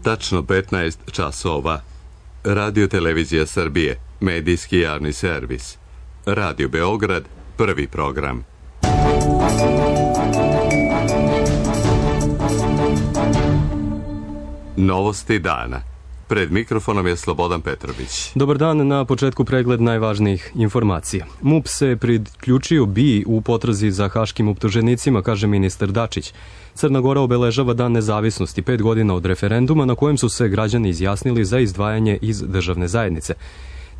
Tačno 15 časova. Radio Televizija Srbije, medijski javni servis. Radio Beograd, prvi program. Novosti dana. Pred mikrofonom je Slobodan Petrović. Dobar dan, na početku pregled najvažnijih informacija. MUP se priključio BIA u potrazi za haškim optuženicima, kaže ministar Dačić. Crna Gora obeležava Dan nezavisnosti 5 godina od referenduma na kojem su se građani izjasnili za izdvajanje iz državne zajednice.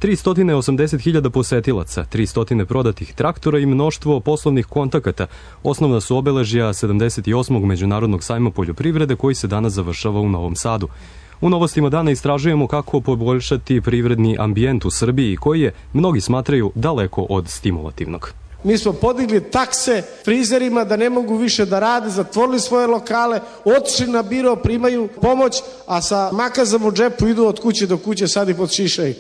380.000 posetilaca, 300 prodatih traktora i mnoštvo poslovnih kontakata osnovna su obeležja 78. Međunarodnog sajma poljoprivrede koji se danas završava u Novom Sadu. U novostima dana istražujemo kako poboljšati privredni ambijent u Srbiji koji je, mnogi smatraju, daleko od stimulativnog. Mi smo podigli takse frizerima da ne mogu više da rade, zatvorili svoje lokale, otišli na biro, primaju pomoć, a sa makazom u džepu idu od kuće do kuće, sad i pod šišaj.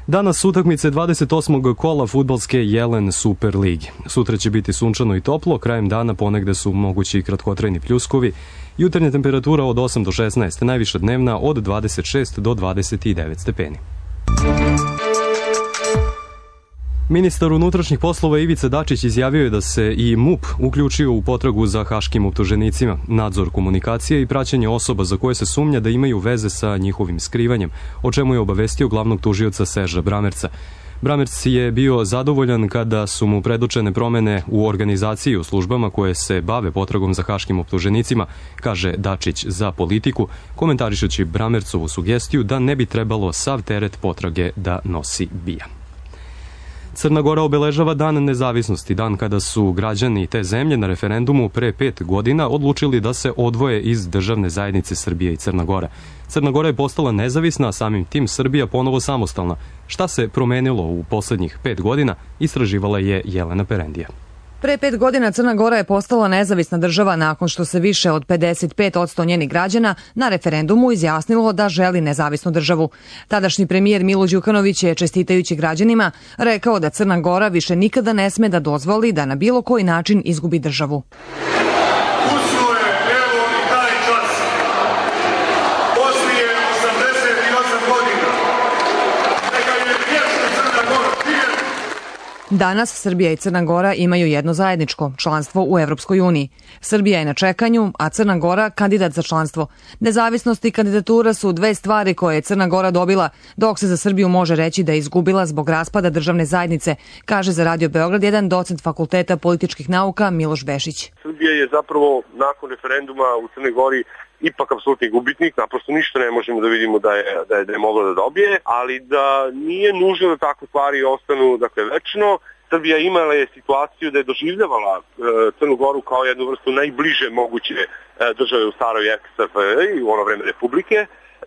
Danas utakmice 28. kola fudbalske Jelen Super ligi. Sutra će biti sunčano i toplo, krajem dana ponegde su mogući i kratkotrajni pljuskovi. Jutarnja temperatura od 8 do 16, najviša dnevna od 26 do 29 stepeni. Ministar unutrašnjih poslova Ivica Dačić izjavio je da se i MUP uključio u potragu za haškim optuženicima, nadzor komunikacije i praćenje osoba za koje se sumnja da imaju veze sa njihovim skrivanjem, o čemu je obavestio glavnog tužioca Seža Bramerca. Bramerc je bio zadovoljan kada su mu predočene promene u organizaciji u službama koje se bave potragom za haškim optuženicima, kaže Dačić za Politiku, komentarišući Bramercovu sugestiju da ne bi trebalo sav teret potrage da nosi BIA. Crna Gora obeležava Dan nezavisnosti, dan kada su građani te zemlje na referendumu pre 5 godina odlučili da se odvoje iz državne zajednice Srbije i Crna Gora. Crna Gora je postala nezavisna, a samim tim Srbija ponovo samostalna. Šta se promenilo u poslednjih 5 godina, istraživala je Jelena Perendija. Pre 5 godina Crna Gora je postala nezavisna država nakon što se više od 55% njenih građana na referendumu izjasnilo da želi nezavisnu državu. Tadašnji premijer Milo Đukanović je, čestitajući građanima, rekao da Crna Gora više nikada ne sme da dozvoli da na bilo koji način izgubi državu. Danas Srbija i Crna Gora imaju jedno zajedničko, članstvo u Evropskoj uniji. Srbija je na čekanju, a Crna Gora kandidat za članstvo. Nezavisnost i kandidatura su dve stvari koje je Crna Gora dobila, dok se za Srbiju može reći da je izgubila zbog raspada državne zajednice, kaže za Radio Beograd jedan docent Fakulteta političkih nauka Miloš Bešić. Srbija je zapravo nakon referenduma u Crnoj Gori ipak apsolutni gubitnik, naprosto ništa ne možemo da vidimo da je mogla da dobije, ali da nije nužno da takve stvari ostanu večno. Srbija imala je situaciju da je doživljavala Crnu Goru kao jednu vrstu najbliže moguće države u staroj SFRJ, u ono vreme Republike,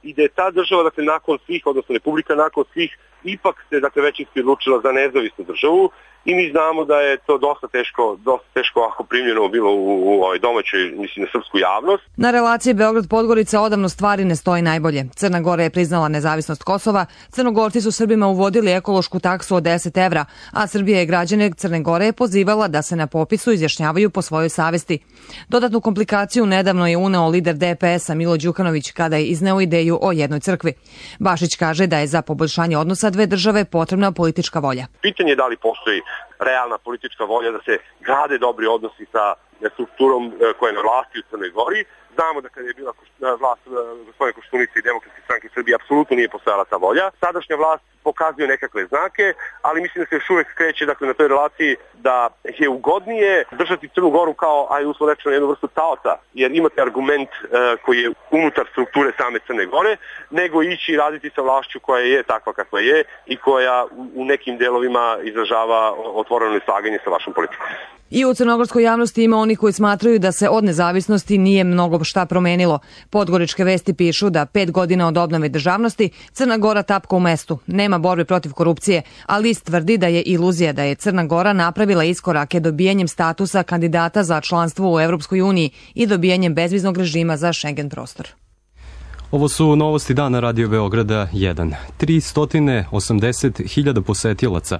i da je ta država, nakon svih, odnosno Republika nakon svih, ipak se, većinski odlučila za nezavisnu državu i mi znamo da je to dosta teško ako primljeno bilo u domaćoj, na srpsku javnost. Na relaciji Beograd-Podgorica odavno stvari ne stoji najbolje. Crna Gora je priznala nezavisnost Kosova, Crnogorci su Srbima uvodili ekološku taksu od 10 evra, a Srbija je građane Crne Gore pozivala da se na popisu izjašnjavaju po svojoj savesti. Dodatnu komplikaciju nedavno je uneo lider DPS-a Milo Đukanović kada je izneo ideju o jednoj crkvi. Bašić kaže da je za poboljšanje odnosa dve države potrebna politička volja. Pitanje je da li postoji realna politička volja da se grade dobri odnosi sa strukturom koja je na vlasti u Crnoj Gori. Znamo da kada je bila vlast gospodine Koštunice i Demokratske stranke Srbije apsolutno nije postojala ta volja. Sadašnja vlast pokazuje nekakve znake, ali mislim da se još uvek kreće na toj relaciji da je ugodnije držati Crnu Goru kao, uslovno rečeno, jednu vrstu taoca, jer imate argument koji je unutar strukture same Crne Gore, nego ići i raditi sa vlašću koja je takva kakva je i koja u nekim delovima izražava otvoreno neslaganje sa vašom politikom. I u crnogorskoj javnosti ima oni koji smatraju da se od nezavisnosti nije mnogo šta promenilo. Podgoričke vesti pišu da 5 godina od obnove državnosti Crna Gora tapka u mestu. Nema borbe protiv korupcije, a list tvrdi da je iluzija da je Crna Gora napravila iskorake dobijanjem statusa kandidata za članstvo u Evropskoj uniji i dobijanjem bezviznog režima za Schengen prostor. Ovo su novosti dana Radio Beograda 1. 380.000 posetilaca,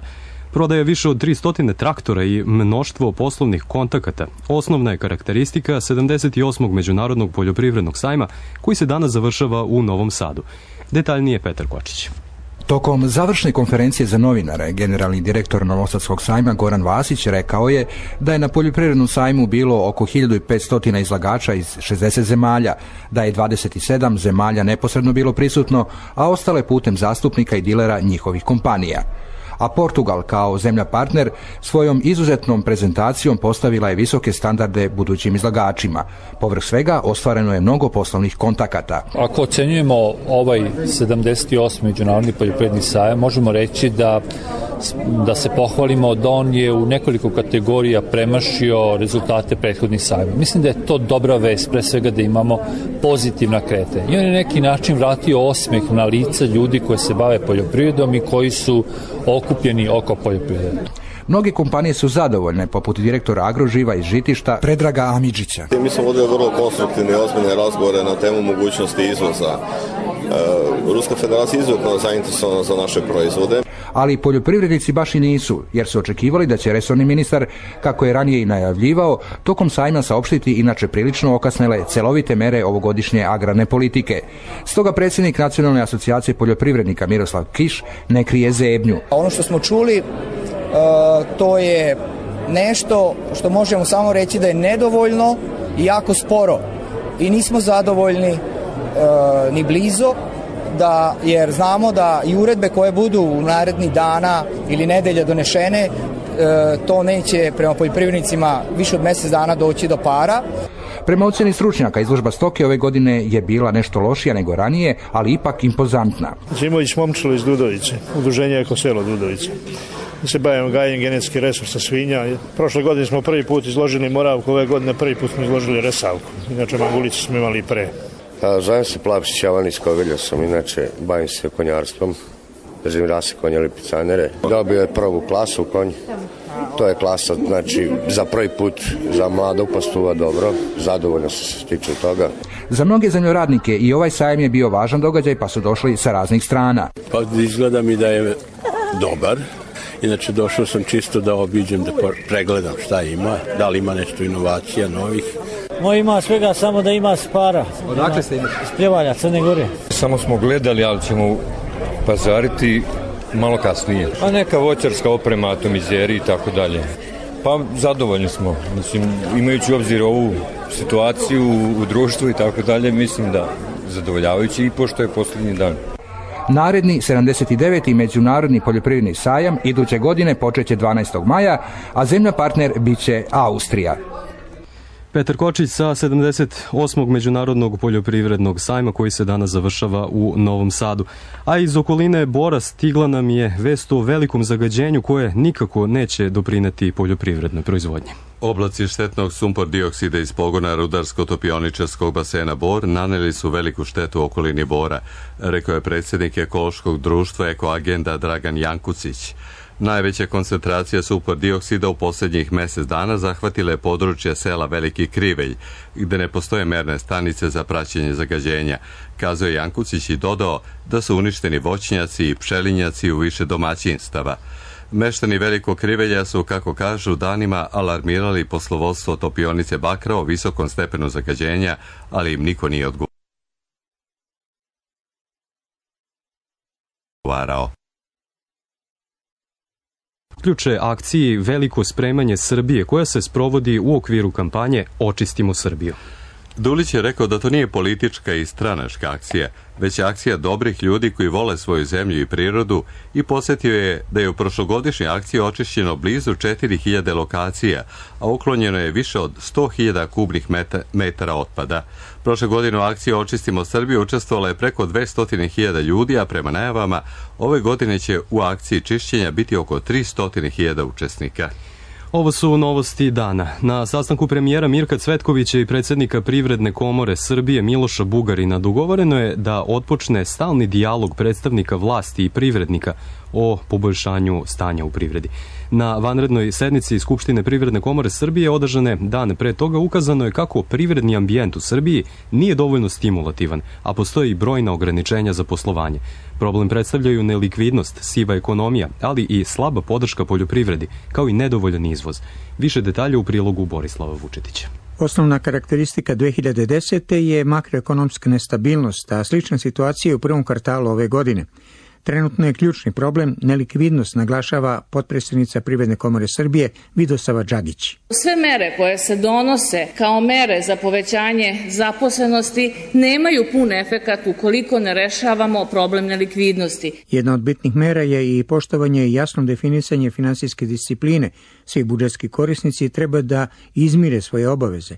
Prodaje više od 300 traktora i mnoštvo poslovnih kontakata. Osnovna je karakteristika 78. Međunarodnog poljoprivrednog sajma koji se danas završava u Novom Sadu. Detaljnije Petar Kočić. Tokom završne konferencije za novinare, generalni direktor Novosadskog sajma Goran Vasić rekao je da je na poljoprivrednom sajmu bilo oko 1500 izlagača iz 60 zemalja, da je 27 zemalja neposredno bilo prisutno, a ostale putem zastupnika i dilera njihovih kompanija. A Portugal kao zemlja partner svojom izuzetnom prezentacijom postavila je visoke standarde budućim izlagačima. Povrh svega ostvareno je mnogo poslovnih kontakata. Ako ocenjujemo ovaj 78. međunarodni poljoprivredni sajam, možemo reći da se pohvalimo da on je u nekoliko kategorija premašio rezultate prethodnih sajma. Mislim da je to dobra vest, pre svega da imamo pozitivna kretanja. I on je neki način vratio osmeh na lica ljudi koji se bave poljoprivredom i koji su okupljeni oko poljoprivrede. Mnoge kompanije su zadovoljne, poput direktora Agroživa iz Žitišta Predraga Amidžića. Mi smo vodili vrlo konstruktivne i ozbiljne razgovore na temu mogućnosti izvoza. Ruska federacija je izuzetno zainteresovana za naše proizvode. Ali poljoprivrednici baš i nisu, jer su očekivali da će resorni ministar, kako je ranije i najavljivao, tokom sajma saopštiti inače prilično okasnele celovite mere ovogodišnje agrarne politike. Stoga predsjednik Nacionalne asocijacije poljoprivrednika Miroslav Kiš ne krije zebnju. Ono što smo čuli, to je nešto što možemo samo reći da je nedovoljno i jako sporo. I nismo zadovoljni ni blizu, jer znamo da i uredbe koje budu u narednih dana ili nedelja donešene, to neće prema poljoprivrednicima više od mjesec dana doći do para. Prema ocjeni stručnjaka, izložba stoke ove godine je bila nešto lošija nego ranije, ali ipak impozantna. Zimović Momčilo iz Dudovice, udruženje Ekoselo Dudovice. Mi se bavimo gajenjem genetskih resursa svinja. Prošle godine smo prvi put izložili moravku, ove godine prvi put smo izložili resavku. Inače, mangulicu smo imali i pre. Zovem se Plavšić Javan iz Kovilja sam, inače bavim se konjarstvom, držim rase konja lipicanere. Dobio je prvu klasu konj, to je klasa, znači za prvi put za mladog pastuva dobro, zadovoljno se tiče toga. Za mnoge zemljoradnike i ovaj sajam je bio važan događaj, pa su došli sa raznih strana. Pa izgleda mi da je dobar. Inače, došao sam čisto da obiđem, da pregledam šta ima, da li ima nešto inovacija novih. Moj ima svega, samo da ima spara. Odakle ste imali? Iz Pljevalja, Crne Gore. Samo smo gledali, ali ćemo pazariti malo kasnije. Pa neka voćarska oprema, atomizeri i tako dalje. Pa zadovoljni smo, mislim, imajući u obzir ovu situaciju u društvu i tako dalje, mislim da zadovoljavajući i pošto je posljednji dan. Naredni 79. međunarodni poljoprivredni sajam iduće godine počeće 12. maja, a zemlja partner biće Austrija. Petar Kočić sa 78. međunarodnog poljoprivrednog sajma koji se danas završava u Novom Sadu. A iz okoline Bora stigla nam je vest o velikom zagađenju koje nikako neće doprineti poljoprivrednoj proizvodnji. Oblaci štetnog sumpor dioksida iz pogona rudarsko-topioničarskog basena Bor naneli su veliku štetu okolini Bora, rekao je predsjednik ekološkog društva Ekoagenda Dragan Jankucić. Najveća koncentracija sumpor dioksida u posljednjih mjesec dana zahvatila je područje sela Veliki Krivelj, gdje ne postoje merne stanice za praćenje zagađenja, kazao je Jankucić i dodao da su uništeni voćnjaci i pčelinjaci u više domaćinstava. Meštani Velikog Krivelja su, kako kažu, danima alarmirali poslovodstvo topionice Bakra o visokom stepenu zagađenja, ali im niko nije odgovarao. Ključe akciji Veliko spremanje Srbije koja se sprovodi u okviru kampanje Očistimo Srbiju. Dulić je rekao da to nije politička i stranačka akcija, već akcija dobrih ljudi koji vole svoju zemlju i prirodu i podsjetio je da je u prošlogodišnjoj akciji očišćeno blizu 4000 lokacija, a uklonjeno je više od 100.000 kubnih metara otpada. Prošle godine u akciji Očistimo Srbiju učestvovalo je preko 200.000 ljudi, a prema najavama ove godine će u akciji čišćenja biti oko 300.000 učesnika. Ovo su novosti dana. Na sastanku premijera Mirka Cvetkovića i predsjednika Privredne komore Srbije Miloša Bugarina dogovoreno je da otpočne stalni dijalog predstavnika vlasti i privrednika o poboljšanju stanja u privredi. Na vanrednoj sednici Skupštine Privredne komore Srbije održane dan pre toga ukazano je kako privredni ambijent u Srbiji nije dovoljno stimulativan, a postoji i brojna ograničenja za poslovanje. Problem predstavljaju nelikvidnost, siva ekonomija, ali i slaba podrška poljoprivredi, kao i nedovoljan izvoz. Više detalja u prilogu Borislava Vučetića. Osnovna karakteristika 2010. je makroekonomska nestabilnost, a slična situacija je u prvom kvartalu ove godine. Trenutno je ključni problem nelikvidnost, naglašava potpredsjednica Privredne komore Srbije Vidosava Đagić. Sve mere koje se donose kao mere za povećanje zaposlenosti nemaju pun efekat ukoliko ne rešavamo problem nelikvidnosti. Jedna od bitnih mera je i poštovanje i jasno definisanje finansijske discipline. Svi budžetski korisnici treba da izmire svoje obaveze.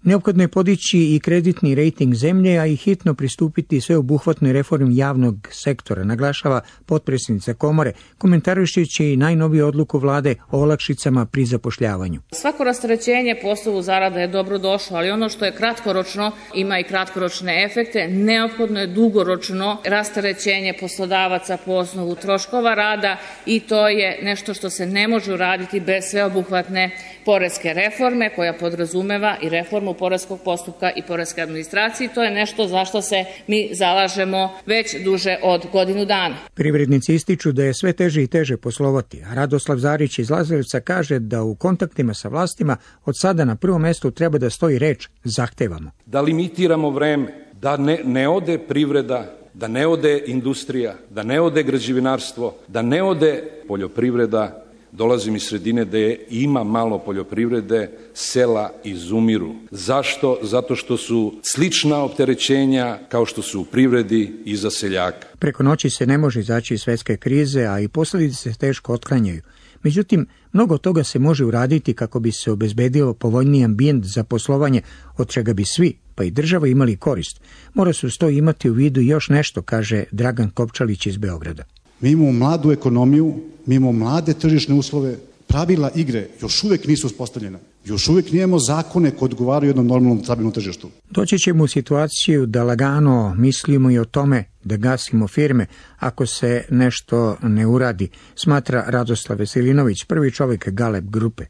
Neophodno je podići i kreditni rejting zemlje, a i hitno pristupiti sveobuhvatnoj reformi javnog sektora, naglašava potpredsjednica komore, komentarišući i najnoviju odluku vlade o olakšicama pri zapošljavanju. Svako rasterećenje po osnovu zarada je dobro došlo, ali ono što je kratkoročno ima i kratkoročne efekte. Neophodno je dugoročno rasterećenje poslodavaca po osnovu troškova rada i to je nešto što se ne može uraditi bez sveobuhvatne poreske reforme koja podrazumeva i reformu poreskog postupka i poreske administracije. To je nešto za što se mi zalažemo već duže od godinu dana. Privrednici ističu da je sve teže i teže poslovati, a Radoslav Zarić iz Lazarevca kaže da u kontaktima sa vlastima od sada na prvom mestu treba da stoji reč zahtevamo. Da limitiramo vreme, da ne ode privreda, da ne ode industrija, da ne ode građevinarstvo, da ne ode poljoprivreda. Dolazim iz sredine gde ima malo poljoprivrede, sela izumiru. Zašto? Zato što su slična opterećenja kao što su u privredi i za seljaka. Preko noći se ne može izaći iz svetske krize, a i posljedice se teško otklanjaju. Međutim, mnogo toga se može uraditi kako bi se obezbedio povoljniji ambijent za poslovanje, od čega bi svi, pa i država, imali korist. Mora se uz to imati u vidu još nešto, kaže Dragan Kopčalić iz Beograda. Mi imamo mladu ekonomiju, mi imamo mlade tržišne uslove, pravila igre još uvek nisu uspostavljena. Još uvek nijemo zakone koji odgovaraju jednom normalnom stabilnom tržištu. Doći ćemo u situaciju da lagano mislimo i o tome da gasimo firme ako se nešto ne uradi, smatra Radoslav Veselinović, prvi čovjek Galeb grupe.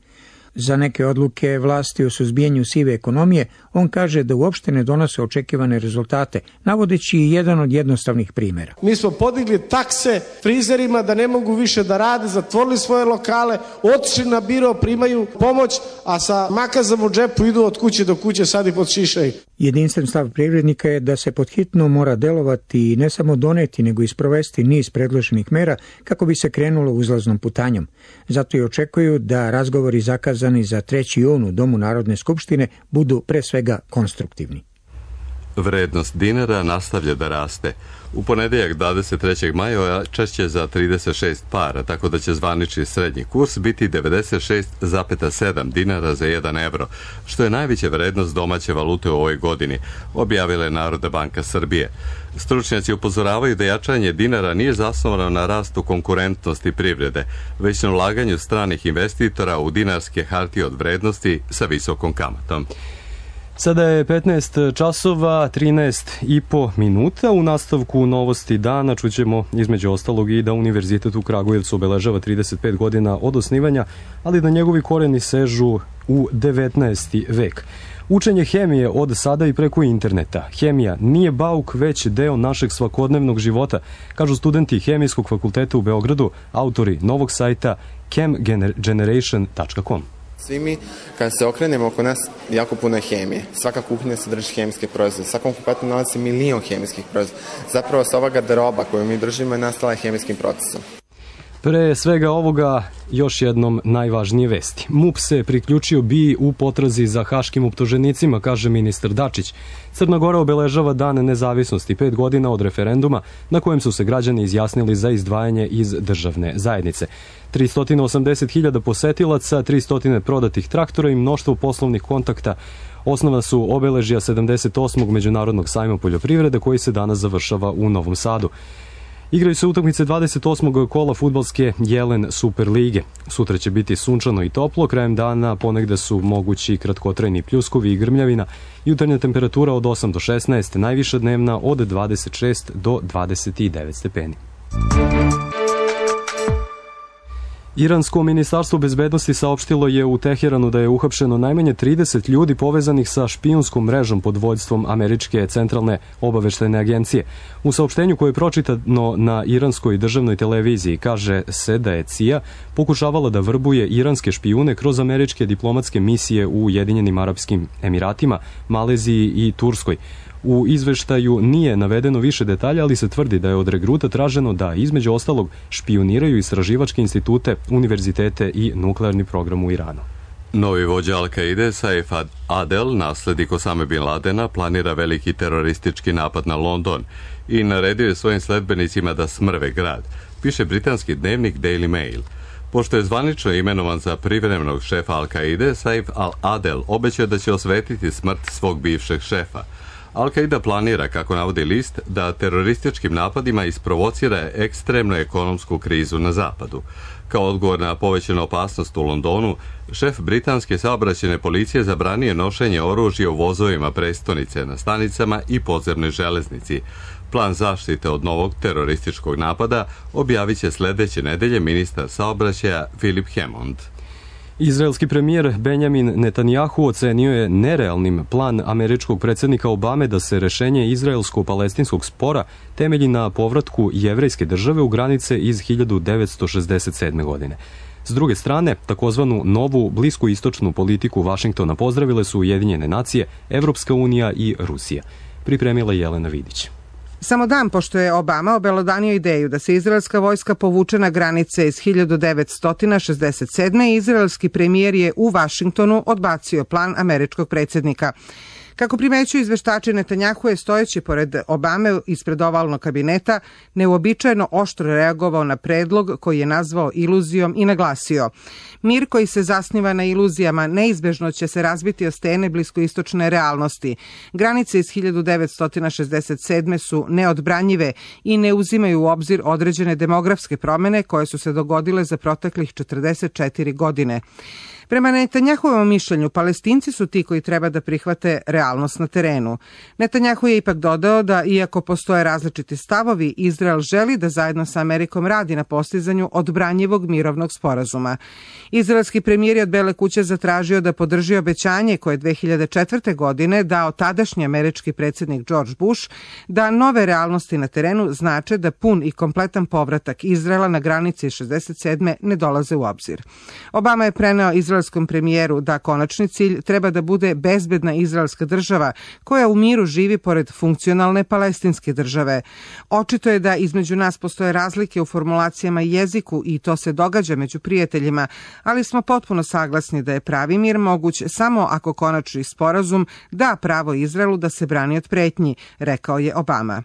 Za neke odluke vlasti o suzbijanju sive ekonomije, on kaže da uopšte ne donose očekivane rezultate, navodeći i jedan od jednostavnih primjera. Mi smo podigli takse frizerima da ne mogu više da rade, zatvorili svoje lokale, otišli na biro, primaju pomoć, a sa makazom u džepu idu od kuće do kuće, sad i pod šišaju. Jedinstven stav privrednika je da se podhitno mora delovati i ne samo doneti, nego i sprovesti niz predloženih mera kako bi se krenulo uzlaznom putanjom. Zato i očekuju da razgovori zakazani za 3. jun u Domu Narodne skupštine budu pre svega konstruktivni. Vrednost dinara nastavlja da raste. U ponedeljak 23. maja češće za 36 para, tako da će zvanični srednji kurs biti 96,7 dinara za 1 evro, što je najveća vrednost domaće valute u ovoj godini, objavila je Narodna banka Srbije. Stručnjaci upozoravaju da jačanje dinara nije zasnovano na rastu konkurentnosti privrede, već na ulaganju stranih investitora u dinarske hartije od vrednosti sa visokom kamatom. Sada je 15 časova, 13,5 minuta. U nastavku novosti dana čućemo između ostalog i da Univerzitet u Kragujevcu obeležava 35 godina od osnivanja, ali da njegovi koreni sežu u 19. vek. Učenje hemije od sada i preko interneta. Hemija nije bauk, već deo našeg svakodnevnog života, kažu studenti Hemijskog fakulteta u Beogradu, autori novog sajta chemgeneration.com. Svi mi, kad se okrenemo oko nas, jako puno je hemije. Svaka kuhinja sadrži hemijske proizvode. Svakom kupatu nalazi milion hemijskih proizvoda. Zapravo se ova garderoba koju mi držimo je nastala hemijskim procesom. Pre svega ovoga još jednom najvažnije vesti. MUP se priključio BIA u potrazi za haškim optuženicima, kaže ministar Dačić. Crna Gora obeležava dan nezavisnosti 5 godina od referenduma na kojem su se građani izjasnili za izdvajanje iz državne zajednice. 380.000 posetilaca, 300 prodatih traktora i mnoštvo poslovnih kontakta osnova su obeležja 78. Međunarodnog sajma poljoprivrede koji se danas završava u Novom Sadu. Igraju se utakmice 28. kola fudbalske Jelen Super lige. Sutra će biti sunčano i toplo, krajem dana ponegde su mogući kratkotrajni pljuskovi i grmljavina, jutarnja temperatura od 8 do 16, najviša dnevna od 26 do 29 stepeni. Iransko ministarstvo bezbednosti saopštilo je u Teheranu da je uhapšeno najmanje 30 ljudi povezanih sa špijunskom mrežom pod vođstvom Američke centralne obaveštajne agencije. U saopštenju koje je pročitano na iranskoj državnoj televiziji kaže se da je CIA pokušavala da vrbuje iranske špijune kroz američke diplomatske misije u Ujedinjenim Arapskim Emiratima, Maleziji i Turskoj. U izveštaju nije navedeno više detalja, ali se tvrdi da je od regruta traženo da, između ostalog, špijuniraju istraživačke institute, univerzitete i nuklearni program u Iranu. Novi vođa Al-Kaide, Saif Adel, naslednik Osame Bin Ladena, planira veliki teroristički napad na London i naredio je svojim sledbenicima da smrve grad, piše britanski dnevnik Daily Mail. Pošto je zvanično imenovan za privremenog šefa Al-Kaide, Saif Adel obećao da će osvetiti smrt svog bivšeg šefa. Al-Qaida planira, kako navodi list, da terorističkim napadima isprovocira ekstremnu ekonomsku krizu na zapadu. Kao odgovor na povećanu opasnost u Londonu, šef britanske saobraćajne policije zabranio nošenje oružja u vozovima prestonice, na stanicama i podzemnoj železnici. Plan zaštite od novog terorističkog napada objavit će sledeće nedelje ministar saobraćaja Philip Hammond. Izraelski premijer Benjamin Netanjahu ocenio je nerealnim plan američkog predsjednika Obame da se rešenje izraelsko-palestinskog spora temelji na povratku jevrejske države u granice iz 1967. godine. S druge strane, takozvanu novu bliskoistočnu politiku Vašingtona pozdravile su Ujedinjene nacije, Evropska unija i Rusija. Pripremila Jelena Vidić. Samo dan pošto je Obama obelodanio ideju da se izraelska vojska povuče na granice iz 1967. izraelski premijer je u Vašingtonu odbacio plan američkog predsjednika. Kako primećuju izveštači, Netanjahu je stojeći pored Obame ispred ovalnog kabineta neuobičajeno oštro reagovao na predlog koji je nazvao iluzijom i naglasio: mir koji se zasniva na iluzijama neizbežno će se razbiti o stene bliskoistočne realnosti. Granice iz 1967. su neodbranjive i ne uzimaju u obzir određene demografske promene koje su se dogodile za proteklih 44 godine. Prema Netanjahovom mišljenju, Palestinci su ti koji treba da prihvate realnost na terenu. Netanjahu je ipak dodao da, iako postoje različiti stavovi, Izrael želi da zajedno sa Amerikom radi na postizanju odbranjivog mirovnog sporazuma. Izraelski premijer je od Bele kuće zatražio da podrži obećanje koje je 2004. godine dao tadašnji američki predsjednik George Bush, da nove realnosti na terenu znače da pun i kompletan povratak Izraela na granici 67. ne dolaze u obzir. Obama je preneo izraelskom premijeru da konačni cilj treba da bude bezbedna izraelska država koja u miru živi pored funkcionalne palestinske države. Očito je da između nas postoje razlike u formulacijama i jeziku i to se događa među prijateljima, ali smo potpuno saglasni da je pravi mir moguć samo ako konačni sporazum da pravo Izraelu da se brani od pretnji, rekao je Obama.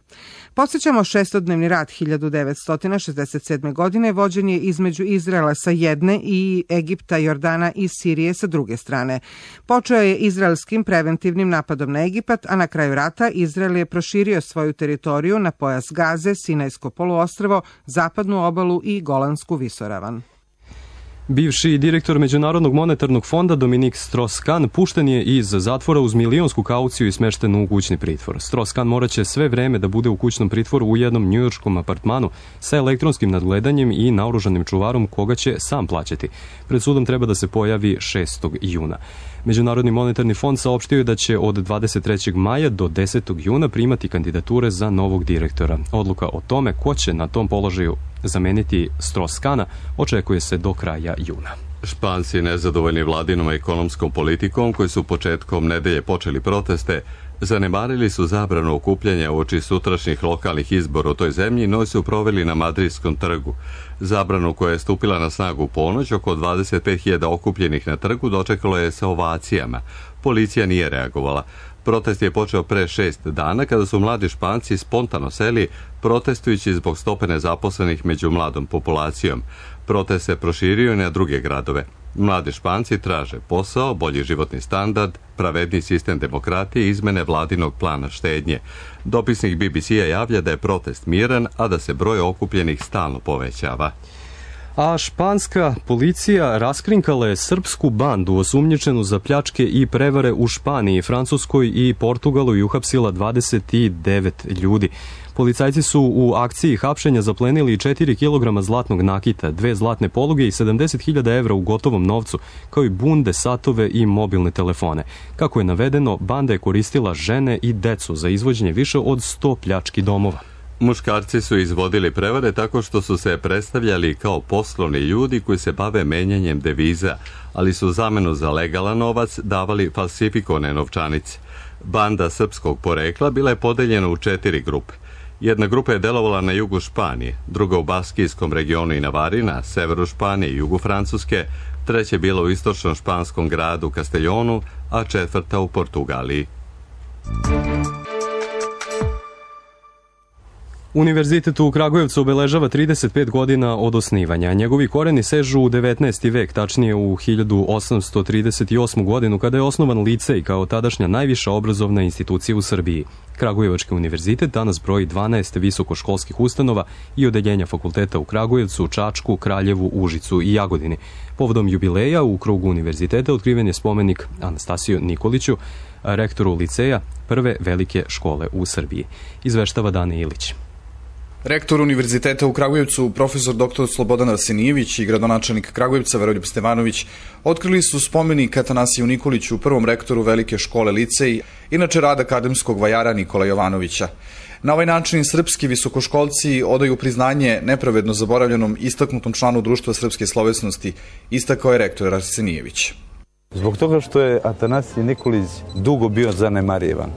Podsjećamo, šestodnevni rat 1967. godine vođen je između Izraela sa jedne i Egipta, Jordana i Sirije sa druge strane. Počeo je izraelskim preventivnim napadom na Egipat, a na kraju rata Izrael je proširio svoju teritoriju na pojas Gaze, Sinajsko poluostrvo, zapadnu obalu i Golansku visoravan. Bivši direktor Međunarodnog monetarnog fonda Dominik Strauss-Kahn pušten je iz zatvora uz milionsku kauciju i smešten u kućni pritvor. Strauss-Kahn moraće sve vreme da bude u kućnom pritvoru u jednom njujorškom apartmanu sa elektronskim nadgledanjem i naoružanim čuvarom koga će sam plaćati. Pred sudom treba da se pojavi 6. juna. Međunarodni monetarni fond saopštio je da će od 23. maja do 10. juna primati kandidature za novog direktora. Odluka o tome ko će na tom položaju zameniti Strauss-Kahna očekuje se do kraja juna. Španci nezadovoljni vladinom ekonomskom politikom koji su početkom nedelje počeli proteste, zanemarili su zabranu okupljanja uoči sutrašnjih lokalnih izbora u toj zemlji, no su proveli na Madridskom trgu. Zabranu koja je stupila na snagu u ponoć, oko 25.000 okupljenih na trgu dočekalo je sa ovacijama. Policija nije reagovala. Protest je počeo pre 6 dana kada su mladi Španci spontano seli protestujući zbog stope nezaposlenih među mladom populacijom. Protest se proširio i na druge gradove. Mladi Španci traže posao, bolji životni standard, pravedni sistem demokratije i izmene vladinog plana štednje. Dopisnik BBC-a javlja da je protest miran, a da se broj okupljenih stalno povećava. A španska policija raskrinkala je srpsku bandu osumnjičenu za pljačke i prevare u Španiji, Francuskoj i Portugalu i uhapsila 29 ljudi. Policajci su u akciji hapšenja zaplenili 4 kg zlatnog nakita, 2 zlatne poluge i 70.000 evra u gotovom novcu, kao i bunde, satove i mobilne telefone. Kako je navedeno, banda je koristila žene i decu za izvođenje više od 100 pljački domova. Muškarci su izvodili prevare tako što su se predstavljali kao poslovni ljudi koji se bave menjanjem deviza, ali su zamenu za legalan novac davali falsifikovane novčanice. Banda srpskog porekla bila je podeljena u 4 grupe. Jedna grupa je delovala na jugu Španije, druga u Baskijskom regionu i Navari, na severu Španije i jugu Francuske, treća je bila u istočnom španskom gradu Castellonu, a četvrta u Portugaliji. Univerzitet u Kragujevcu obeležava 35 godina od osnivanja. Njegovi koreni sežu u 19. vek, tačnije u 1838. godinu, kada je osnovan licej kao tadašnja najviša obrazovna institucija u Srbiji. Kragujevački univerzitet danas broji 12 visokoškolskih ustanova i odeljenja fakulteta u Kragujevcu, Čačku, Kraljevu, Užicu i Jagodini. Povodom jubileja u krugu univerziteta otkriven je spomenik Anastasiju Nikoliću, rektoru liceja prve velike škole u Srbiji. Izveštava Dane Ilić. Rektor Univerziteta u Kragujevcu, profesor dr. Slobodan Arsenijević i gradonačelnik Kragujevca Veroljub Stevanović otkrili su spomenik Atanasiju Nikoliću, prvom rektoru velike škole licej, inače rad akademskog vajara Nikola Jovanovića. Na ovaj način srpski visokoškolci odaju priznanje nepravedno zaboravljenom istaknutom članu društva srpske slovesnosti, istakao je rektor Arsenijević. Zbog toga što je Atanasij Nikolić dugo bio zanemarivan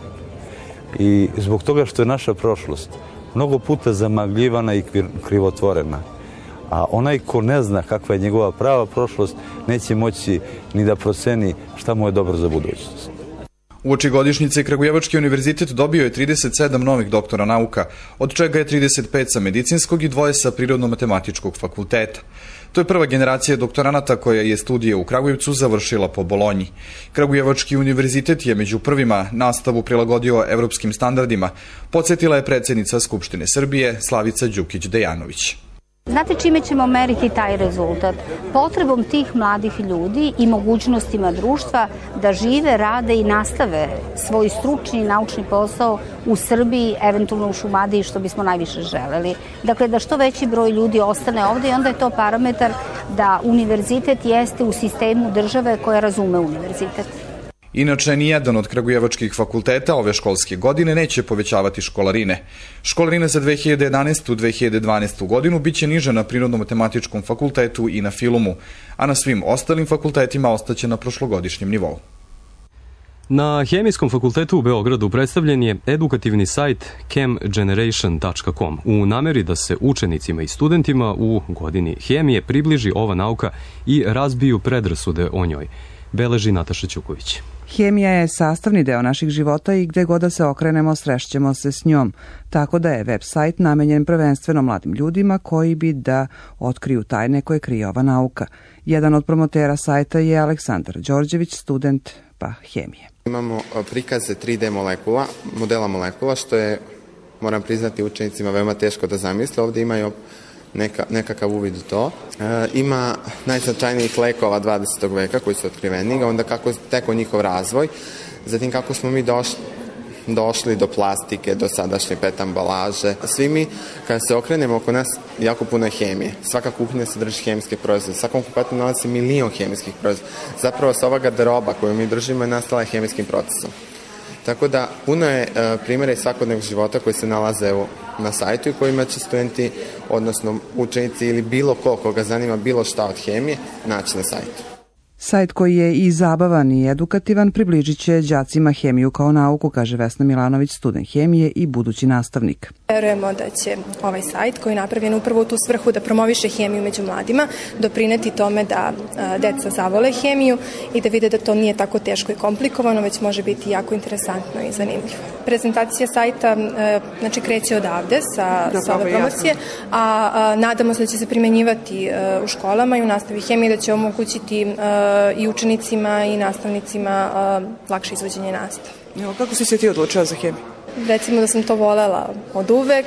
i zbog toga što je naša prošlost mnogo puta zamagljivana i krivotvorena. A onaj ko ne zna kakva je njegova prava prošlost, neće moći ni da proceni šta mu je dobro za budućnost. Uoči godišnjice Kragujevački univerzitet dobio je 37 novih doktora nauka, od čega je 35 sa medicinskog i 2 sa prirodno-matematičkog fakulteta. To je prva generacija doktoranata koja je studije u Kragujevcu završila po Bolonji. Kragujevački univerzitet je među prvima nastavu prilagodio evropskim standardima, podsjetila je predsjednica Skupštine Srbije Slavica Đukić-Dejanović. Znate čime ćemo meriti taj rezultat? Potrebom tih mladih ljudi i mogućnostima društva da žive, rade i nastave svoj stručni i naučni posao u Srbiji, eventualno u Šumadiji, što bismo najviše želeli. Dakle, da što veći broj ljudi ostane ovde i onda je to parametar da univerzitet jeste u sistemu države koja razume univerzitet. Inače, nijedan od kragujevačkih fakulteta ove školske godine neće povećavati školarine. Školarine za 2011. 2012. godinu biće niže na Prirodno-matematičkom fakultetu i na Filumu, a na svim ostalim fakultetima ostaće na prošlogodišnjem nivou. Na Hemijskom fakultetu u Beogradu predstavljen je edukativni sajt chemgeneration.com u nameri da se učenicima i studentima u godini hemije približi ova nauka i razbiju predrasude o njoj, beleži Nataša Ćuković. Hemija je sastavni deo naših života i gde god da se okrenemo srešćemo se s njom, tako da je web sajt namenjen prvenstveno mladim ljudima koji bi da otkriju tajne koje krije ova nauka. Jedan od promotera sajta je Aleksandar Đorđević, student hemije. Imamo prikaze 3D molekula, modela molekula, što je, moram priznati, učenicima veoma teško da zamisle. Ovde imaju nekakav uvid u to. Ima najznačajnijih lekova 20. veka koji su otkriveni, onda kako teko njihov razvoj, zatim kako smo mi došli do plastike, do sadašnje PET ambalaže. Svi mi, kada se okrenemo, oko nas jako puno je hemije. Svaka kuhinja sadrži hemijske proizvode, svakom kupetu nalazi milion hemijskih proizvoda. Zapravo se ova garderoba koju mi držimo je nastala hemijskim procesom. Tako da puno je primjera iz svakodnevnog života koji se nalaze na sajtu i kojima će studenti, odnosno učenici ili bilo koga zanima bilo šta od hemije, naći na sajtu. Sajt koji je i zabavan i edukativan približit će đacima hemiju kao nauku, kaže Vesna Milanović, student hemije i budući nastavnik. Verujemo da će ovaj sajt koji je napravljen upravo u tu svrhu da promoviše hemiju među mladima, doprineti tome da deca zavole hemiju i da vide da to nije tako teško i komplikovano, već može biti jako interesantno i zanimljivo. Prezentacija sajta kreće odavde sa ove promocije, a nadamo se da će se primenjivati u školama i u nastavi hemije, da će omogućiti i učenicima i nastavnicima lakše izvođenje nastave. Kako si se ti odlučila za hemiju? recimo da sam to volela od uvek,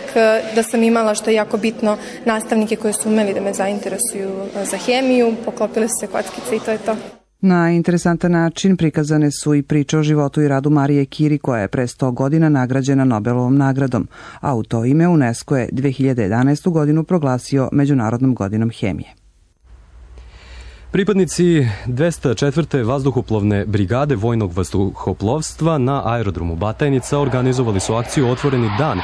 da sam imala, što je jako bitno, nastavnike koji su umeli da me zainteresuju za hemiju, poklopile su se kockice i to je to. Na interesantan način prikazane su i priče o životu i radu Marije Curie, koja je pre 100 godina nagrađena Nobelovom nagradom, a u to ime UNESCO je 2011. godinu proglasio Međunarodnom godinom hemije. Pripadnici 204. vazduhoplovne brigade vojnog vazduhoplovstva na aerodromu Batajnica organizovali su akciju Otvoreni dan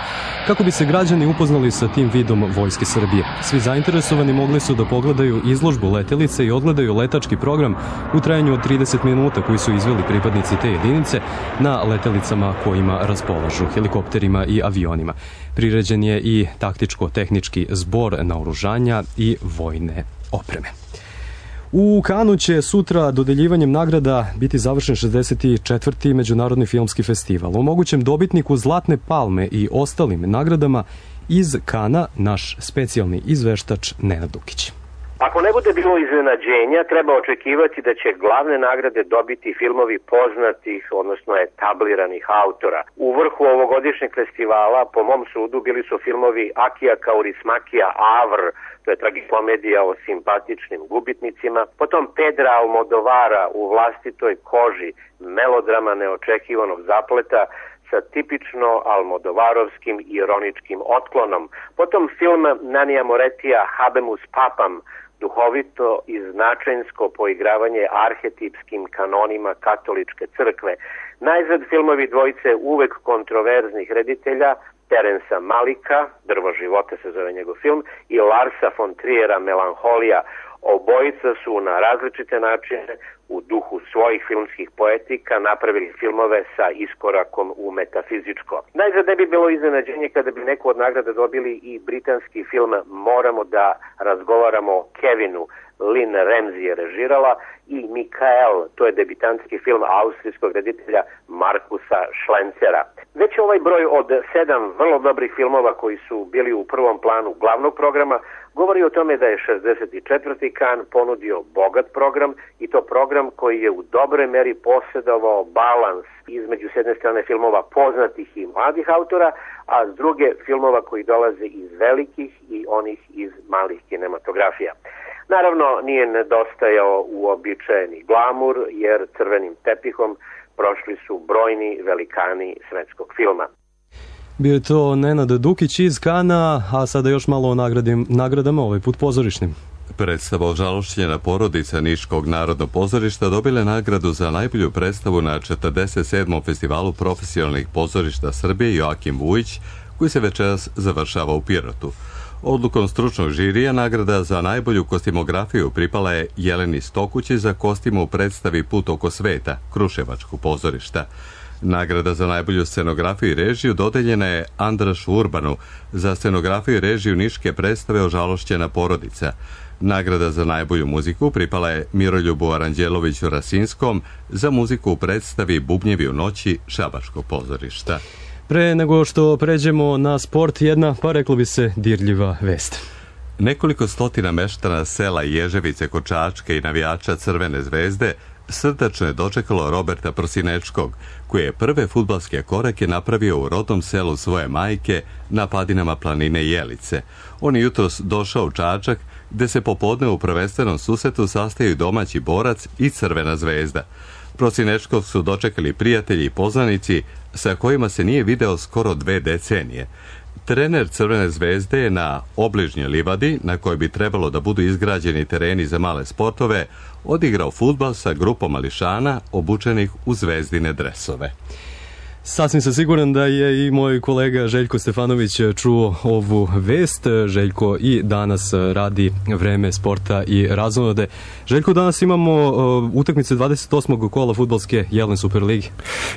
kako bi se građani upoznali sa tim vidom Vojske Srbije. Svi zainteresovani mogli su da pogledaju izložbu letelice i odgledaju letački program u trajanju od 30 minuta koji su izveli pripadnici te jedinice na letelicama kojima raspolažu, helikopterima i avionima. Priređen je i taktičko-tehnički zbor naoružanja i vojne opreme. U Kanu će sutra dodeljivanjem nagrada biti završen 64. Međunarodni filmski festival. O mogućem dobitniku Zlatne palme i ostalim nagradama iz Kana naš specijalni izveštač Nenad Dukić. Ako ne bude bilo iznenađenja, treba očekivati da će glavne nagrade dobiti filmovi poznatih, odnosno etabliranih autora. U vrhu ovogodišnjeg festivala, po mom sudu, bili su filmovi Akija Kaurismakija Avr, to je tragikomedija o simpatičnim gubitnicima, potom Pedra Almodovara U vlastitoj koži, melodrama neočekivanog zapleta sa tipično almodovarovskim ironičkim otklonom, potom film Nanija Moretija Habemus Papam, duhovito i značajnsko poigravanje arhetipskim kanonima katoličke crkve. Najzad filmovi dvojice uvek kontroverznih reditelja, Terensa Malika, Drvo života se zove njegov film, i Larsa von Triera Melanholija. Obojica su na različite načine u duhu svojih filmskih poetika napravili filmove sa iskorakom u metafizičko. Najzad ne bi bilo iznenađenje kada bi neku od nagrada dobili i britanski film Moramo da razgovaramo o Kevinu. Lynn Ramsey je režirala i Mikael, to je debitanski film austrijskog reditelja Markusa Schlencera. Već ovaj broj od 7 vrlo dobrih filmova koji su bili u prvom planu glavnog programa govori o tome da je 64. Kan ponudio bogat program i to program koji je u dobroj meri posjedovao balans između s jedne strane filmova poznatih i mladih autora, a s druge filmova koji dolaze iz velikih i onih iz malih kinematografija. Naravno, nije nedostajao uobičajeni glamur, jer crvenim tepihom prošli su brojni velikani svetskog filma. Bio je to Nenad Dukić iz Kana, a sada još malo o nagradama, ovaj put pozorišnim. Predstava Ožalošćena porodica Niškog narodnog pozorišta dobila nagradu za najbolju predstavu na 47. festivalu profesionalnih pozorišta Srbije Joakim Vujić, koji se večeras završava u Pirotu. Odlukom stručnog žirija nagrada za najbolju kostimografiju pripala je Jeleni Stokući za kostim u predstavi Put oko sveta, Kruševačkog pozorišta. Nagrada za najbolju scenografiju i režiju dodeljena je Andrašu Urbanu za scenografiju i režiju niške predstave Ožalošćena porodica. Nagrada za najbolju muziku pripala je Miroljubu Aranđeloviću Rasinskom za muziku u predstavi Bubnjevi u noći Šabačkog pozorišta. Pre nego što pređemo na sport, jedna, pa reklo bi se, dirljiva vest. Nekoliko stotina meštana sela Ježevice kod Čačke i navijača Crvene zvezde srdačno je dočekalo Roberta Prosinečkog, koji je prve fudbalske korake napravio u rodnom selu svoje majke na padinama planine Jelice. On je jutros došao u Čačak, gde se popodne u prvenstvenom susretu sastaju domaći Borac i Crvena zvezda. Prosinečkog su dočekali prijatelji i poznanici sa kojima se nije video skoro 2 decenije. Trener Crvene zvezde je na obližnjoj livadi, na kojoj bi trebalo da budu izgrađeni tereni za male sportove, odigrao fudbal sa grupom mališana obučenih u zvezdine dresove. Sasvim sam siguran da je i moj kolega Željko Stefanović čuo ovu vest. Željko i danas radi Vreme sporta i razonode. Željko, danas imamo utakmice 28. kola fudbalske Jelen Superligi.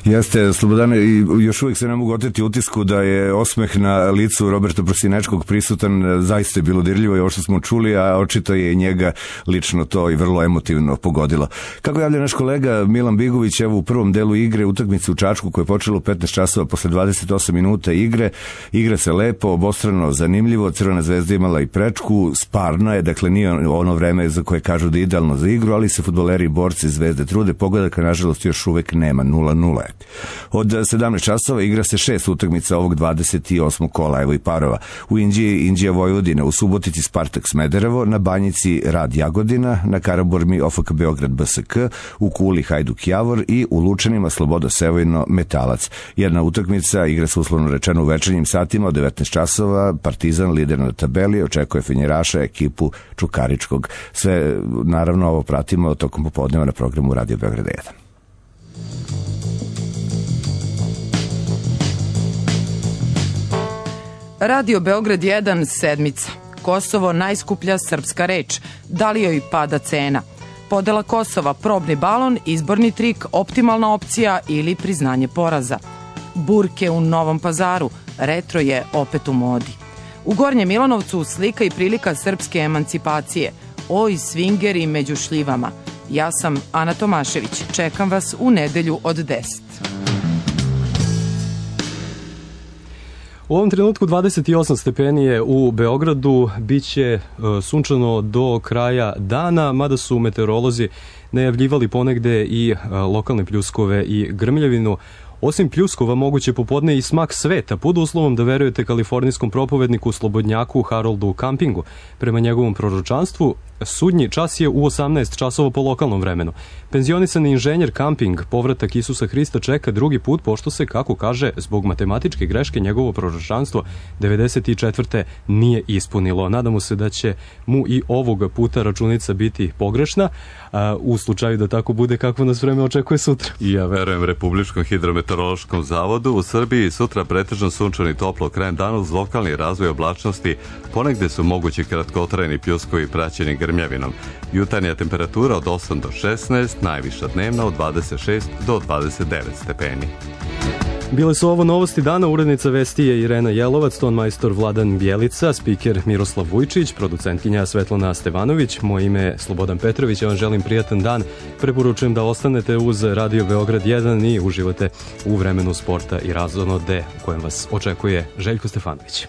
Jeste, Slobodane, i još uvijek se ne mogu oteti utisku da je osmeh na licu Roberta Prosinečkog prisutan. Zaista je bilo dirljivo i ovo što smo čuli, a očito je i njega lično to i vrlo emotivno pogodilo. Kako javlja naš kolega Milan Bigović, evo u prvom delu igre utakmice u Čačku koja je počela u 15 časova posle 28 minuta igre. Igra se lepo, obostrano, zanimljivo. Crvena zvezda imala i prečku, sparno je, dakle nije ono vreme za koje kažu da je idealno za igru, ali se fudbaleri i borci Zvezde trude. Pogledaka, nažalost, još uvek nema, 0-0. Od 17 časova igra se 6 utakmica ovog 28. kola, evo i parova. U Inđiji Inđija Vojvodina, u Subotici Spartak Smederevo, na Banjici Rad Jagodina, na Karaburmi OFK Beograd BSK, u Kuli Hajduk Javor i u Lučanima Sloboda Sevojno Metalac. Jedna utakmica igra se uslovno rečeno u večernjim satima od 19 časova. Partizan, lider na tabeli, očekuje Fenjeraša, ekipu Čukaričkog. Sve, naravno, ovo pratimo tokom popodneva na programu Radio Beograd 1. Radio Beograd 1, sedmica. Kosovo najskuplja srpska reč. Da li joj pada cena? Podela Kosova, probni balon, izborni trik, optimalna opcija ili priznanje poraza. Burke u Novom Pazaru, retro je opet u modi. U Gornjem Milanovcu slika i prilika srpske emancipacije. Oj, svingeri među šljivama. Ja sam Ana Tomašević. Čekam vas u nedelju od 10. U ovom trenutku 28 stepeni je u Beogradu, biće sunčano do kraja dana, mada su meteorolozi najavljivali ponegde i lokalne pljuskove i grmljavinu. Osim pljuskova, moguće popodne i smak sveta, pod uslovom da verujete kalifornijskom propovedniku slobodnjaku Haroldu Campingu. Prema njegovom proročanstvu, sudnji čas je u 18 časova po lokalnom vremenu. Penzionisani inženjer Camping povratak Isusa Hrista čeka drugi put, pošto se, kako kaže, zbog matematičke greške njegovo proročanstvo 94. nije ispunilo. Nadamo se da će mu i ovog puta računica biti pogrešna, u slučaju da tako bude, kako nas vreme očekuje sutra. Ja verujem Republičkom hidrometeorološkom zavodu. U Srbiji sutra pretežno sunčano i toplo, krajem dana uz lokalni razvoj oblačnosti, ponegde su mogući kratkotrajni pljuskovi praćeni grmljavinom. Jutarnja temperatura od 8 do 16, najviša dnevna od 26 do 29 stepeni. Bile su ovo novosti dana, urednica vesti je Irena Jelovac, tonmajstor Vladan Bjelica, spiker Miroslav Vujčić, producentkinja Svetlana Stevanović, moje ime je Slobodan Petrović, ja vam želim prijatan dan, preporučujem da ostanete uz Radio Beograd 1 i uživate u vremenu sporta i razonode u kojem vas očekuje Željko Stefanović.